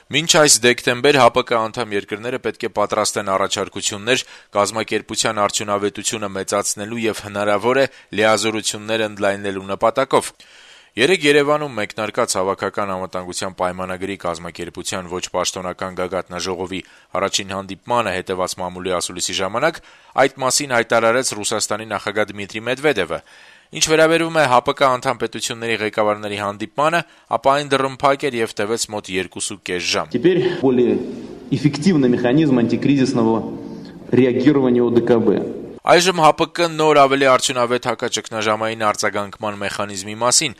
Մինչ այս դեկտեմբեր ՀԱՊԿ անդամ երկրները պետք է պատրաստեն առաջարկություններ կազմակերպության արդյունավետությունը մեծացնելու եւ հնարավոր է լիազորություններ ընդլայնելու նպատակով։ Երեկ Երևանում մեկնարկած Հավաքական անվտանգության պայմանագրի կազմակերպության ոչ պաշտոնական գագաթնաժողովի առաջին հանդիպմանը հետեւած մամուլի ասուլիսի ժամանակ այդ մասին հայտարարեց Ռուսաստանի նախագահ Դմիտրի Մեդվեդևը։ Ինչ վերաբերում է ՀԱՊԿ անդամ պետությունների ղեկավարների հանդիպմանը, ապա այն դռնփակ էր եւ տևեց մոտ 2.5 ժամ։ Теперь более эффективный механизм антикризисного реагирования ОДКБ. Այժմ ՀԱՊԿ-ն նոր ավելի արդյունավետ հակաճգնաժամային արձագանքման մեխանիզմի մասին։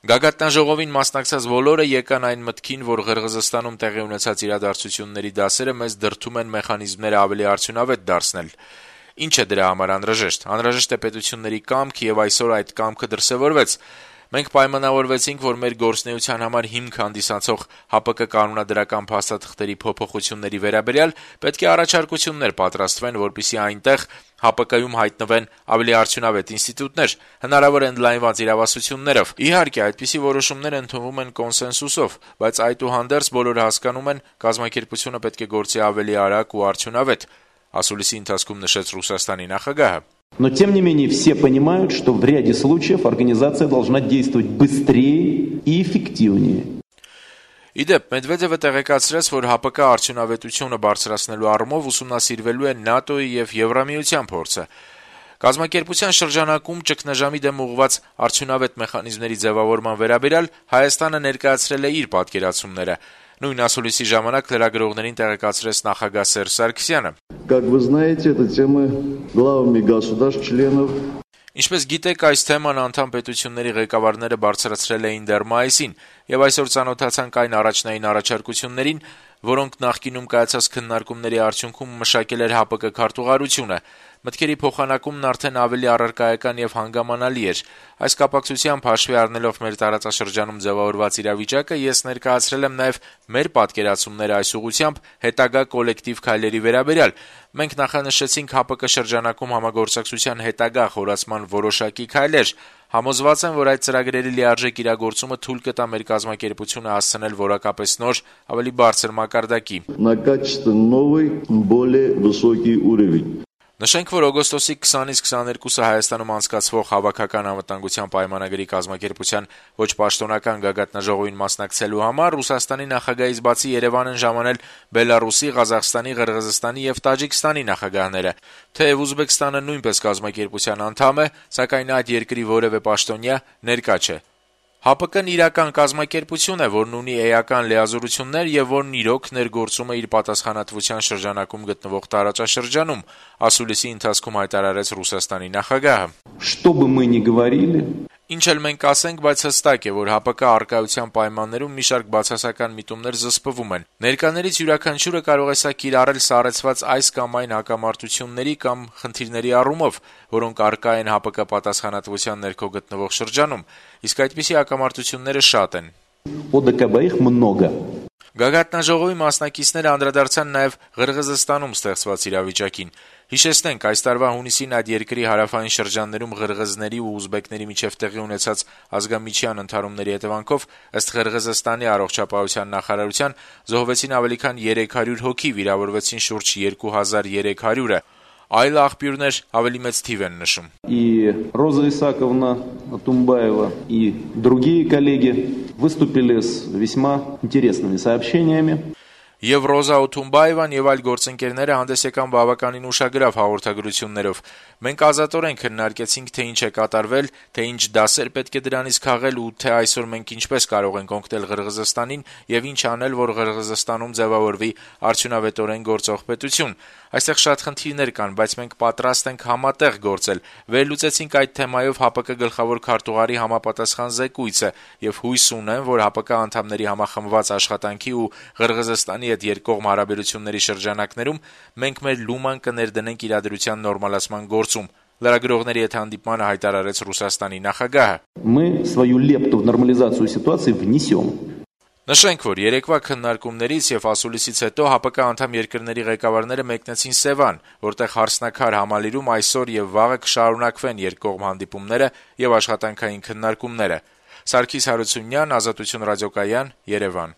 Գագաթնաժողովին մասնակցած բոլորը եկան այն մտքին, որ Ղրղըզստանում տեղի ունեցած իրադարձությունների դասերը մեզ դրդում են մեխանիզմները ավելի արդյունավետ դարձնել։ Ինչ է դրա համար անհրաժեշտ։ Անհրաժեշտ է պետությունների կամք եւ այսօր այդ կամքը դրսեւորվեց։ Մենք պայմանավորվեցինք, որ մեր գործունեության համար հիմք հանդիսացող ՀԱՊԿ կանոնադրական փաստաթղթերի փոփոխությունների վերաբերյալ պետք է առաջարկություններ պատրաստվեն, որպեսզի այնտեղ ՀԱՊԿ-ում հայտնվեն ավելի արդյունավետ ինստիտուտներ, հնարավոր ընդլայնված իրավասություններով։ Իհարկե, այդպիսի որոշումներ ընդունվում են կոնսենսուսով, բայց այդուհանդերձ բոլորը հասկանում են, կազմակերպությունը պետք է գործի ավելի արագ ու արդյունավետ, ասուլիսի ընթացքում նշեց Ռուսաստանի նախագահը։ Но, тем не менее, все понимают, что в ряде случаев организация должна действовать быстрее и эффективнее. Իդեպ, Մեդվեդևը տեղեկացրեց, որ ՀԱՊԿ արդյունավետությունը բարձրացնելու առումով ուսումնասիրվելու է ՆԱՏՕ-ի եւ Եվրամիության փորձը։ Կազմակերպության շրջանակում ճգնաժամի դեմ ուղղված արդյունավետ մեխանիզմների ձևավորման վերաբերյալ Հայաստանը ներկայացրել է իր պատկերացումները։ Նույն ասուլիսի ժամանակ լրագրողներին տեղեկացրեց նախագահ Սերժ Սարգսյանը։ Как вы знаете, эта тема главами государств-членов. Ինչպես գիտեք, այս թեման անդամ պետությունների ղեկավարները բարձրացրել էին դեռ մայիսին, եւ այսօր ծանոթացանք այն առաջնային առաջարկություններին, որոնք նախկինում կայացած քննարկումների արդյունքում մշակել էր ՀԱՊԿ քարտուղարությունը։ Մտքերի փոխանակումն արդեն ավելի առարկայական եւ հանգամանալի էր։ Այս կապակցությամբ հաշվի առնելով մեր տարածաշրջանում ձևավորված իրավիճակը, ես ներկայացրել եմ նաեւ մեր պատկերացումները այս ուղղությամբ հետագա կոլեկտիվ քայլերի վերաբերյալ։ Մենք նախանշեցինք ՀԱՊԿ շրջանակում համագործակցության հետագա խորացման որոշակի քայլեր։ Համոզված եմ, որ այդ ծրագրերի լիարժեք իրագործումը թույլ կտա մեր կազմակերպությունը հասցնել որակապես նոր, ավելի բարձր մակարդակի։ На качественно новый, более высокий уровень. Նշենք, որ օգոստոսի 20-ից 22-ը Հայաստանում անցկացվող Հավաքական անվտանգության պայմանագրի կազմակերպության ոչ պաշտոնական գագաթնաժողովին մասնակցելու համար Ռուսաստանի նախագահից բացի Երևան են ժամանել Բելարուսի, Ղազախստանի, Ղրղըզստանի եւ Տաջիկստանի նախագահները։ Թեև Ուզբեկստանը նույնպես կազմակերպության անդամ է, սակայն այդ երկրի որևէ պաշտոնյա ներկա չէ։ ՀԱՊԿ-ն իրական կազմակերպություն է, որն ունի էական լիազորություններ եւ որն իրոք ներգործում է իր պատասխանատվության շրջանակում գտնվող տարածաշրջանում, ասուլիսի ընթացքում հայտարարեց Ռուսաստանի նախագահը։ Что бы мы ни говорили, Ինչ էլ մենք ասենք, բայց հստակ է, որ ՀԱՊԿ առկայության պայմաններում մի շարք բացասական միտումներ զսպվում են։ Ներկաներից յուրաքանչյուրը կարող է սա կիրառել սառեցված այս կամ այն հակամարտությունների կամ խնդիրների առումով, որոնք առկա են ՀԱՊԿ պատասխանատվության ներքո գտնվող շրջանում, իսկ այդպիսի հակամարտությունները շատ են։ ОДКБ их много. Գագաթնաժողովի մասնակիցները անդրադարձան նաև Ղրղըզստանում ստեղծված իրավիճակին։ Հիշեցնենք, այս տարվա հունիսին այդ երկրի հարավային շրջաններում ղրղըզների ու ուզբեկների միջև տեղի ունեցած ազգամիջյան ընդհարումների հետևանքով ըստ Ղրղըզստանի առողջապահության նախարարության զոհվեցին ավելի քան 300 հոգի, վիրավորվեցին շուրջ 2300-ը։ Այլ աղբյուրներ ավելի մեծ թիվ են նշում։ И Роза Исаковна Тумбаева и другие коллеги выступили с весьма интересными сообщениями. Եվ Ռոզա Օթումբաևան եւ այլ գործընկերները հանդես եկան բավականին ուշագրավ հաղորդագրություններով։ Մենք ազատորեն քննարկեցինք, թե ինչ է կատարվել, թե ինչ դասեր պետք է դրանից քաղել ու թե այսօր մենք ինչպես կարող ենք օգնել Ղրղըզստանին եւ ինչ անել, որ Ղրղըզստանում ձևավորվի արդյունավետորեն գործող պետություն։ Այստեղ շատ խնդիրներ կան, բայց մենք պատրաստ ենք համատեղ գործել։ Վերլուծեցինք այդ թեմայով ՀԱՊԿ գլխավոր քարտուղարի համապատասխան զեկույցը եւ հույս ունեմ, որ ՀԱՊԿ անդամների համախմբված աշխատանքի ու Ղրղըզստանի հետ երկկողմ հարաբերությունների շրջանակներում մենք մեր լուման կներդնենք իրադրության նորմալացման գործում։ Լրագրողների հետ հանդիպմանը հայտարարեց Ռուսաստանի նախագահը։ Мы свою лепту в нормализацию ситуации внесем. Նշենք, որ երեկվա քննարկումներից եւ ասուլիսից հետո ՀԱՊԿ անդամ երկրների ղեկավարները մեկնեցին Սևան, որտեղ հարսնաքար համալիրում այսօր եւ վաղը կշարունակվեն երկկողմ հանդիպումները եւ աշխատանքային քննարկումները։ Սարգիս Հարությունյան, Ազատություն ռադիոկայան, Երևան։